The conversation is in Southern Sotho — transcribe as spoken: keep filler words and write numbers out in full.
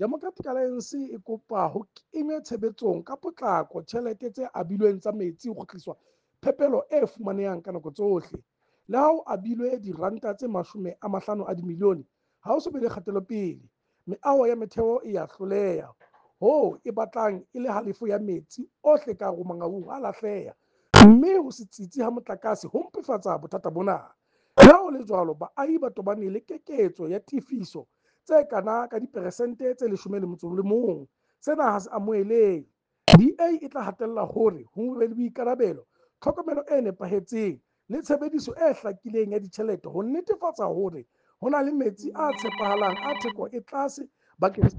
Democratic Alliance e kopa ho kenywe tshebetsong ka potlako tjhelete tse abilweng tsa metsi ho kgutliswa phepelo e fumanehang ka nako tsohle. Le ha ho abilwe diranta tse mashome a mahlano a dimilione, ha ho so be le kgatelopele. Meaho ya metheo e ya hloleha hoo e batlang e le halefo ya metsi ohle ka hare ho Mangaung a lahleha, mme ho se tsitsi ha motlakase ho mpefatsa bothata bona. Le ha ho le jwalo, baahi ba tobane le keketso ya tefiso tse kana ka diperesente tse leshome le motso o le mong. Sena ha se amohelehe. D A e tla hatella hore ho be le boikarabelo, tlhokomelo e nepahetseng le tshebediso e hlakileng ya ditjhelete ho netefatsa hore ho na le metsi a tshepahalang a theko e tlase bakeng sa.